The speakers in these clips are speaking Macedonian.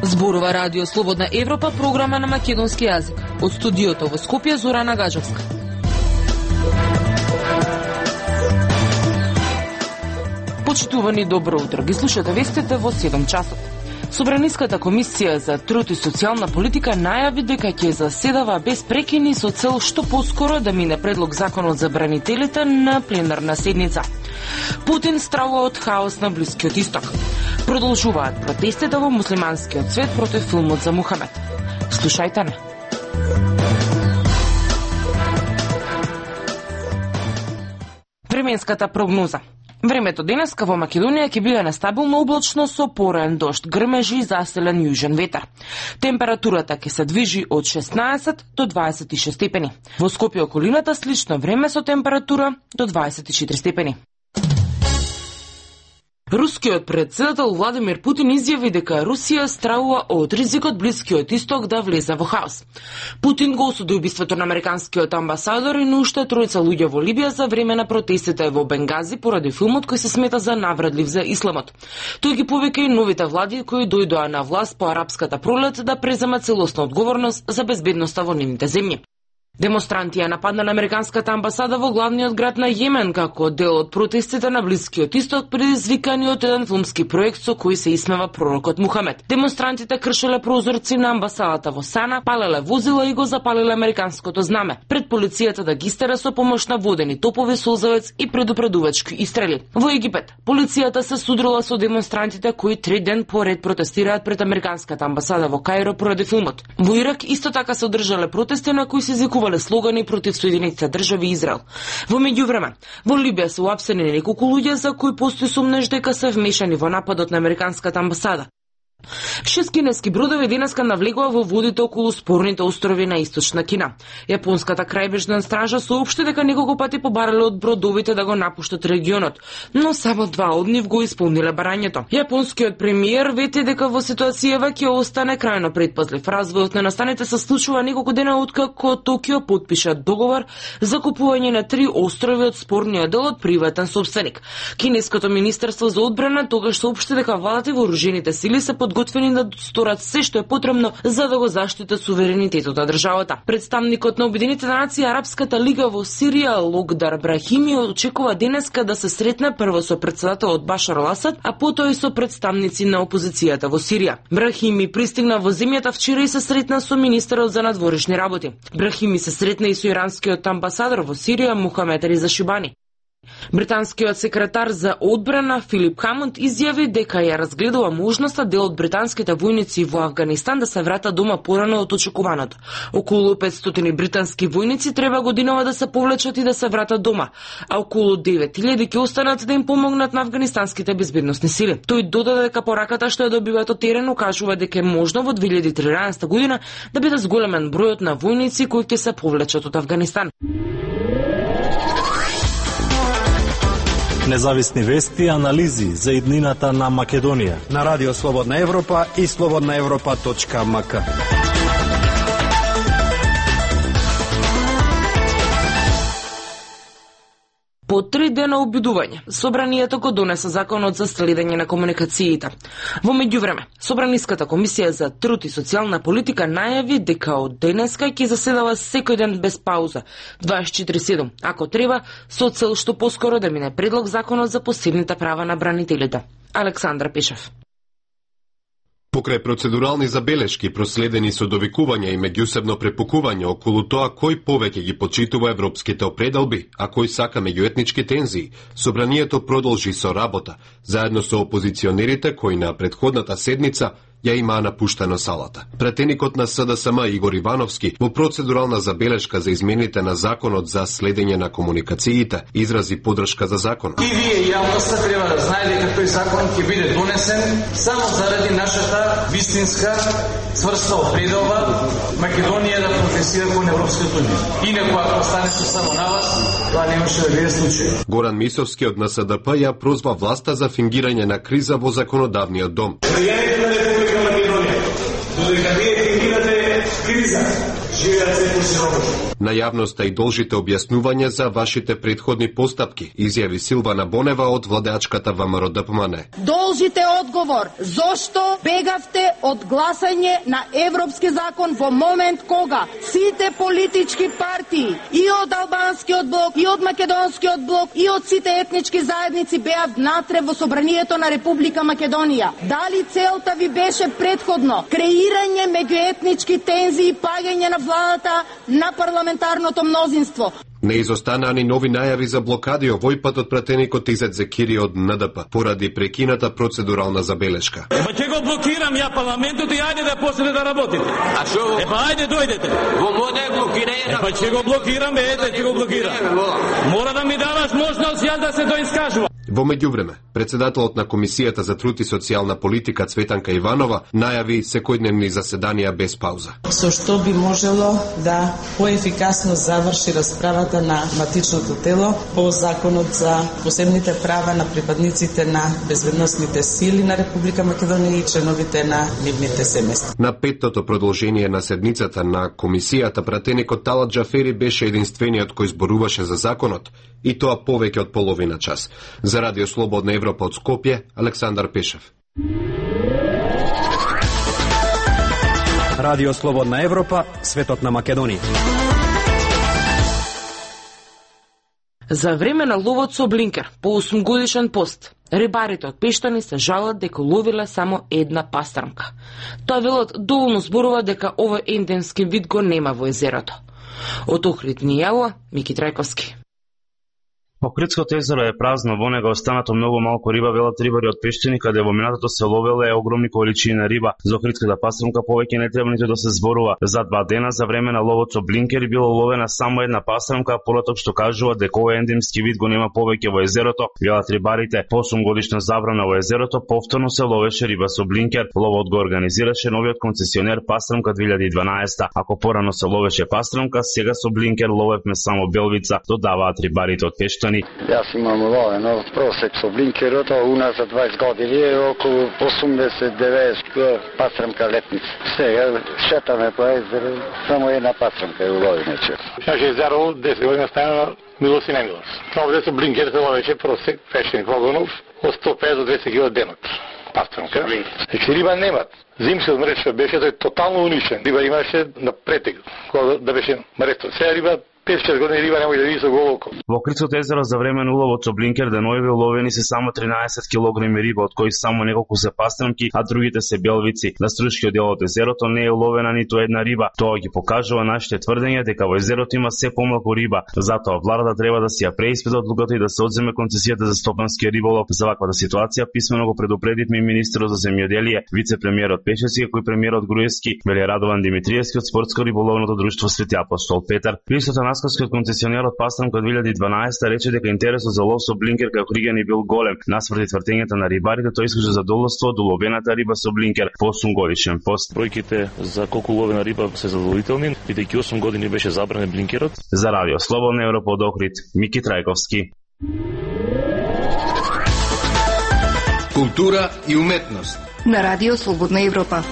Зборува Радио Слободна Европа, програма на македонски јазик. Од студиото во Скопје, Зорана Гаджевска. Почитувани, добро утро. Ги слушате вестите во 7 часот. Собраниската комисија за труд и социјална политика најави дека ќе заседава без прекини со цел што поскоро да мине предлог законот за бранителите на пленарна седница. Путин стравува од хаос на Блискиот Исток. Продолжуваат протестите во муслиманскиот свет против филмот за Мухамед. Слушајте не. Временската прогноза. Времето денеска во Македонија ќе биде нестабилно облачно со пораен дожд, грмежи и заселен јужен ветар. Температурата ќе се движи од 16 до 26 степени. Во Скопје околината слично време со температура до 24 степени. Рускиот претседател Владимир Путин изјави дека Русија стравува од ризикот Блискиот Исток да влезе во хаос. Путин го осуди убиството на американскиот амбасадор и на уште тројца луѓе во Либија за време на протестите во Бенгази поради филмот кој се смета за навредлив за исламот. Тој ги повика и новите влади кои дојдоа на власт по арапската пролет да преземат целосна одговорност за безбедноста во нивните земји. Демонстранти ја нападнале американската амбасада во главниот град на Јемен како дел од протестите на Блискиот Исток предизвикани од еден филмски проект со кој се исмева пророкот Мухамед. Демонстрантите кршеле прозорци на амбасадата во Сана, палеле возила и го запалиле американското знаме, пред полицијата да ги истера со помош на водени топови, созавец и предупредувачки истрели. Во Египет, полицијата се судрила со демонстрантите кои 3 ден поред протестираат пред американската амбасада во Каиро поради филмот. Во Ирак исто така се одржале протести на кои се изикувале слогани против Соединетите држави и Израел. Во меѓувреме, во Либија се уапсени неколку луѓе за кои постои сумнеж дека се вмешани во нападот на американската амбасада. 6 кинески бродови денеска навлегува во водите околу спорните острови на Источна Кина. Јапонската крајбрежна стража соопшти дека неколку пати побарале од бродовите да го напуштат регионот, но само 2 од нив го исполниле барањето. Јапонскиот премиер вети дека во ситуацијава ќе остане крајно предпазлив. Развојот на настаните се случува неколку дена откако Токио потпиша договор за купување на 3 острови од спорниот дел од приватен сопственик. Кинеското министерство за одбрана тогаш соопшти дека владата и вооружените сили се подготвени да сторат се што е потребно за да го заштитат суверенитетот на државата. Представникот на Обединетите нации Арапската лига во Сирија Логдар Брахими очекува денеска да се сретне прво со претседателот Башар ал-Асад, а потоа и со представници на опозицијата во Сирија. Брахими пристигна во земјата вчера и се сретна со министерот за надворешни работи. Брахими се сретна и со иранскиот амбасадор во Сирија Мухамед Реза Шибани. Британскиот секретар за одбрана Филип Хамонд изјави дека ја разгледува можноста дел од британските војници во Афганистан да се вратат дома порано од очекуваното. Околу 500 британски војници треба годинава да се повлечат и да се вратат дома, а околу 9000 ќе останат да им помогнат на афганистанските безбедносни сили. Тој додаде дека пораката што ја добиваат од терен укажува дека е можно во 2013 година да биде зголемен бројот на војници кои ќе се повлечат од Афганистан. Независни вести и анализи за иднината на Македонија на Радио Слободна Европа и slobodnaevropa.mk. По 3 дена обидување, собранието го донесе законот за следење на комуникациите. Во меѓувреме, Собраниската комисија за труд и социјална политика најави дека од денеска ќе заседава секој ден без пауза, 24/7, ако треба, со цел што поскоро да мине предлог законот за посебните права на бранителите. Александра Пешев. Покрај процедурални забелешки, проследени со довикување и меѓусебно препукување околу тоа кој повеќе ги почитува европските определби, а кој сака меѓуетнички тензии, собранието продолжи со работа, заедно со опозиционерите кои на претходната седница ја имаа напуштено салата. Пратеникот на СДСМ Игор Ивановски во процедурална забелешка за измените на законот за следење на комуникациите изрази поддршка за законот. И вие јавноста треба да знае дека тој закон ќе биде донесен само заради нашата вистинска цврста определба Македонија да прогресира кон Европската унија. Инаку ако останеше само на вас, тоа немаше да биде случај. Горан Мисовски од НСДП ја прозва власта за фингирање на криза во законодавниот дом. Додека вие фингирате криза, На јавноста и должите објаснување за вашите претходни постапки, изјави Силвана Бонева од владеачката ВМРО-ДПМН. Должите одговор зошто бегавте од гласање на европски закон во момент кога сите политички партии и од албанскиот блок, и од македонскиот блок, и од сите етнички заедници беа внатре во собранието на Република Македонија. Дали целта ви беше претходно креирање меѓуетнички тензии и паѓање на владата на парламентарното мнозинство? Не изостана ни нови најави за блокади, овој пат од пратеникот Изет Зекири од НДП, поради прекината процедурална забелешка. Епа ќе го блокирам ја парламентот и ајде да почнете да работите. А шо? Епа ајде дојдете. Во моде блокирање. Епа ќе го блокирам, ете ќе го блокирам. Мора да ми даваш можност јас да се доискажувам. Во меѓувреме, председателот на Комисијата за труд и социјална политика Цветанка Иванова најави секојдневни заседанија без пауза. Со што би можело да поефикасно заврши расправата на матичното тело по законот за посебните права на припадниците на безбедносните сили на Република Македонија и членовите на нивните семејства. На петтото продолжение на седницата на Комисијата, пратеникот Талат Џафери беше единствениот кој зборуваше за законот, и тоа повеќе од половина час. За Радио Слободна Европа од Скопје, Александар Пешев. Радио Слободна Европа, светот на Македонија. За време на ловот со блинкер, по 8-годишен пост, рибарите од Пештани се жалат дека ловиле само една пастрмка. Тоа велот доволно зборува дека овој ендемски вид го нема во езерото. Од Охрид ни јава Мики Трајковски. Охридското езеро е празно, во него останато многу малку риба, велат рибари од Пештини, каде во минатото се ловеле огромни количини на риба. За охридската пастрмка повеќе не треба ниту да се зборува. За 2 дена за време на ловот со блинкери било ловена само една пастрмка, пороток што кажува дека овој ендемски вид го нема повеќе во езерото. Велат рибарите, по 8 годишна забрана во езерото, повторно се ловеше риба со блинкер. Ловот го организираше новиот концесионер Пастрмка 2012. Ако порано се ловеше пастрмка, сега со блинкер ловевме само белвица, додаваат рибарите од Пештани. Јас имам ловено просек со блинкерот, а уназад 20 години е околу 80-90 пастрмка летница. Сега шетаме по езеро, само една пастрмка е уловена често. Шаше езеро 10 години стана милост и немилост. Овде со блинкер се ловеше просек Пештин Когонов од 150 до 200 кг денот. Пастрмка. Значи риба немат. Зимскиот мреж беше тој тотално унишен. Риба имаше на претег, кога да беше мрето. Сега риба 5-6 години риба немој да види со голо око. Во Охридското езеро за време на уловот со блинкер денови уловени се само 13 кг риба, од кои само неколку се пастрмки, а другите се белвици. На струшкиот дел од езерото не е уловена ниту една риба. Тоа ги покажува нашите тврдења дека во езерото има се помалку риба. Затоа владата треба да си ја преиспита одлуката и да се одземе концесијата за стопански риболов. За ваквата ситуација писмено го предупредивме и министерот за земјоделие, вице-премиерот Пешевски, кој премиерот Груевски, вели Радован Димитриевски од спортско-риболовното друштво Свети Апостол Петар. Листото Наскоскиот концесионер од Пастрмка 2012 рече дека интересот за лов со блинкер кај Охриѓани бил голем. Наспроти тврдењата на рибарите, тој искаше задоволство од уловената риба со блинкер по 8 годишен пост. Бројките за колку уловена риба се задоволителни, бидејќи 8 години беше забранен блинкерот. За Радио Слободна Европа од Охрид, Мики Трајковски. Култура и уметност на Радио Слободна Европа.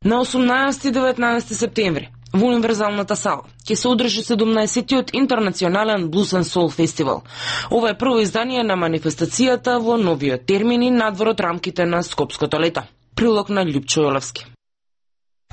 На 18 и 19 септември во Универзалната сала ќе се одржи 17-тиот интернационален Blues and Soul фестивал. Ова е прво издание на манифестацијата во новиот термин и надвор од рамките на Скопското лето. Прилог на Љупчо Јолевски.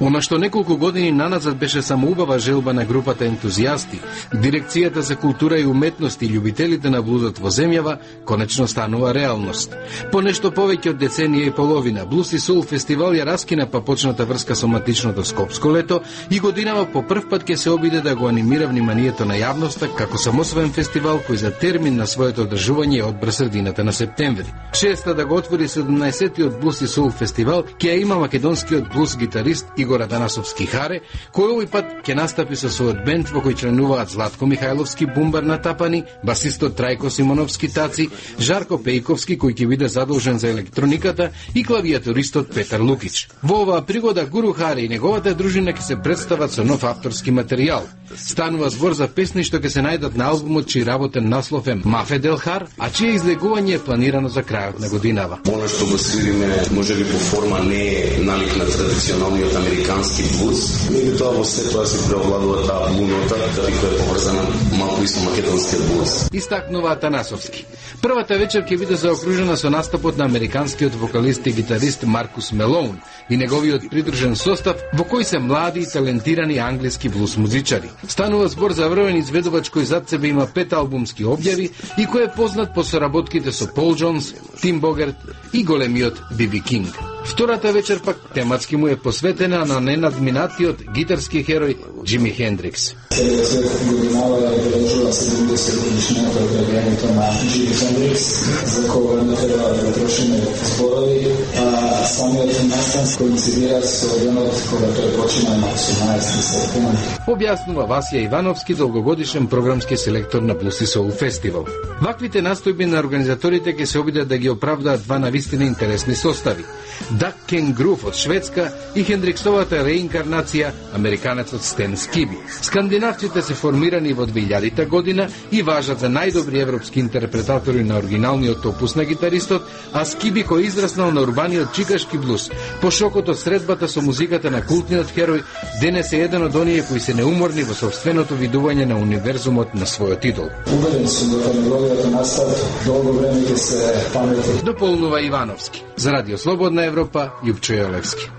Она што неколку години наназад беше само убава желба на групата ентузијасти, Дирекцијата за култура и уметност и љубителите на блузот во земјава, конечно станува реалност. По нешто повеќе од деценија и половина, Blues и Soul фестивал ја раскина па почната врска со матичното Скопско лето и годинава по прв пат ќе се обиде да го анимира вниманието на јавноста како самосвоен фестивал кој за термин на своето одржување одбра средината на септември. Честа да го отвори 17-тиот Blues и Soul фестивал ќе ја има македонскиот блуз гитарист Игор Атанасовски Харе, кој овој пат ќе настапи со својот бенд во кој членуваат Златко Михајловски бумбар на тапани, басистот Трајко Симоновски таци, Жарко Пејковски кој ќе биде задолжен за електрониката и клавиатуристот Петар Лукич. Во оваа пригода Гуру Харе и неговата дружина ќе се представат со нов авторски материјал. Станува збор за песни што ќе се најдат на албумот чиј работен наслов е Мафе Делхар, а чие излегување е планирано за крајот на годинава. Она што го свириме можеби по форма не е налик на традиционалниот американски американски блуз. Меѓутоа во се тоа се преовладува таа блунота, која е поврзана малку и со македонскиот блуз. Истакнува Атанасовски. Првата вечер ќе биде заокружена со настапот на американскиот вокалист и гитарист Маркус Мелоун и неговиот придружен состав, во кој се млади и талентирани англиски блуз музичари. Станува збор за врвен изведувач кој зад себе има 5 албумски објави и кој е познат по соработките со Пол Джонс, Тим Богерт и големиот Биби Кинг. Втората вечер пак тематски му е посветена на ненадминатиот гитарски херој Джими Хендрикс. Целиот свет годинава е обележува 70 годишнината од роѓењето на Джими Хендрикс, за кога не треба да трошиме зборови, а самиот настан коинцидира со денот кога тој почина на 18 септември. Објаснува Васија Ивановски, долгогодишен програмски селектор на Блуз и Соул фестивал. Ваквите настојби на организаторите ќе се обидат да ги оправдаат два навистина интересни состави. Дак Кенгруф од Шведска и Хендриксовата реинкарнација, американецот Стен Скиби. Скандинавците се формирани во 2000 година и важат за најдобри европски интерпретатори на оригиналниот опус на гитаристот, а Скиби кој израснал на урбаниот чикашки блуз, по шокот од средбата со музиката на култниот херој, денес е еден од оние кои се неуморни во собственото видување на универзумот на својот идол. Убеден сум дека неговиот настап долго време ќе се памети. Дополнува Ивановски. За Радио Слободна Европа, Јупчо Јолевски.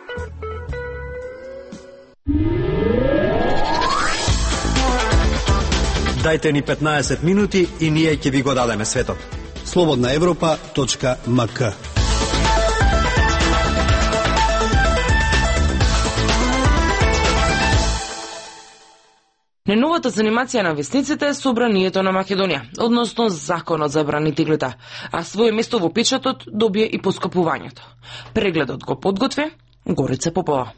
Дајте ни 15 минути и ние ќе ви го дадеме светот. slobodnaevropa.mk. Неновата занимација на весниците е собранието на Македонија, односно законот за бранителите, а своје место во печатот добие и поскапувањето. Прегледот го подготви Горица Попова.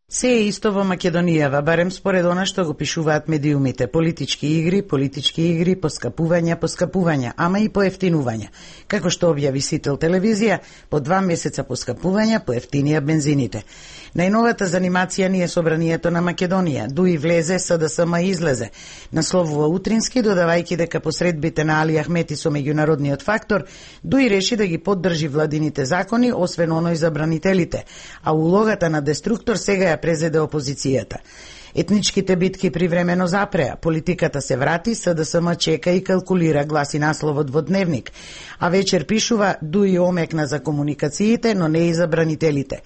Се е исто во Македонијава, барем според она што го пишуваат медиумите. Политички игри, поскапувања, ама и поевтинувања. Како што објави Сител телевизија, по 2 месеца поскапувања, поевтинија бензините. Најновата занимација ни е собранието на Македонија. Дуи влезе, СДСМ излезе. Насловува Утрински, додавајќи дека посредбите на Али Ахмети со меѓународниот фактор, Дуи реши да ги поддржи владините закони, освен оној за бранителите, а улогата на деструктор сега ја презеде опозицијата. Етничките битки привремено запреа, политиката се врати, СДСМ чека и калкулира, гласи насловот во Дневник, а вечер пишува Дуи омекна за комуникациите, но не и за бранителите.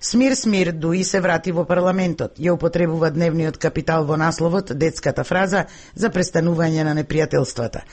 Смир, Дуи се врати во парламентот. Ја употребува Дневниот Капитал во насловот детската фраза за престанување на непријателствата.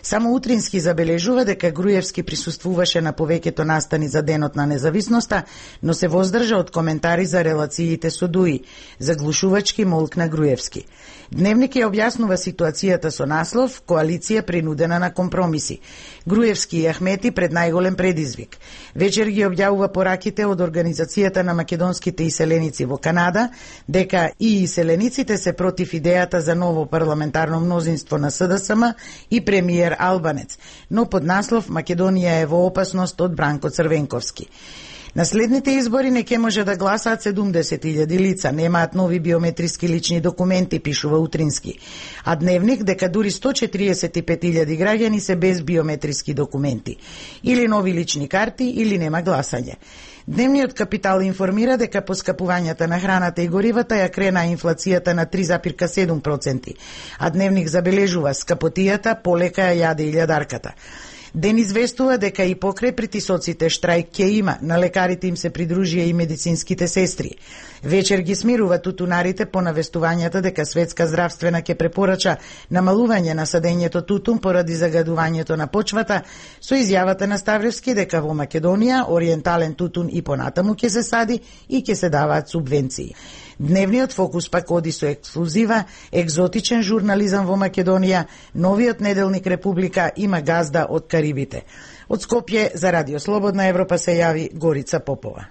Само Утрински забележува дека Груевски присуствуваше на повеќето настани за Денот на независноста, но се воздржа од коментари за релациите со Дуи. Заглушувачки молкна Груевски. Дневник ја објаснува ситуацијата со наслов «Коалиција принудена на компромиси». Груевски и Ахмети пред најголем предизвик. Вечер ги објавува пораките од Организацијата на македонските иселеници во Канада, дека и иселениците се против идејата за ново парламентарно мнозинство на СДСМ и премиер Албанец, но под наслов «Македонија е во опасност» од Бранко Црвенковски. На следните избори не ќе може да гласаат 70.000 лица, немаат нови биометриски лични документи, пишува Утрински. А Дневник дека дури 145.000 граѓани се без биометриски документи. Или нови лични карти, или нема гласање. Дневниот Капитал информира дека поскапувањата на храната и горивата ја крена инфлацијата на 3,7%, а Дневник забележува скапотијата полека ја јаде и лјадарката. Ден известува дека и покрај притисоците штрајк ќе има, на лекарите им се придружија и медицинските сестри. Вечер ги смирува тутунарите по навестувањата дека Светска здравствена ќе препорача намалување на садењето тутун поради загадувањето на почвата, со изјавата на Ставревски дека во Македонија ориентален тутун и понатаму ќе се сади и ќе се даваат субвенции. Дневниот фокус пак оди со ексклузива, екзотичен журнализам во Македонија, новиот неделник Република има газда од Карибите. Од Скопје за Радио Слободна Европа се јави Горица Попова.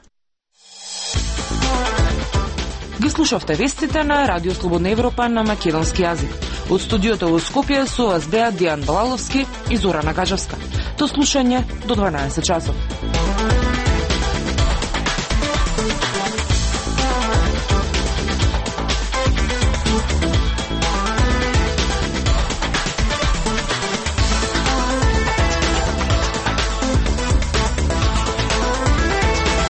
Ги слушавте вестите на Радио Слободна Европа на македонски јазик. Од студиото во Скопје со вас беа Дијан Балаловски и Зорана Кажевска. До слушање до 12 часот.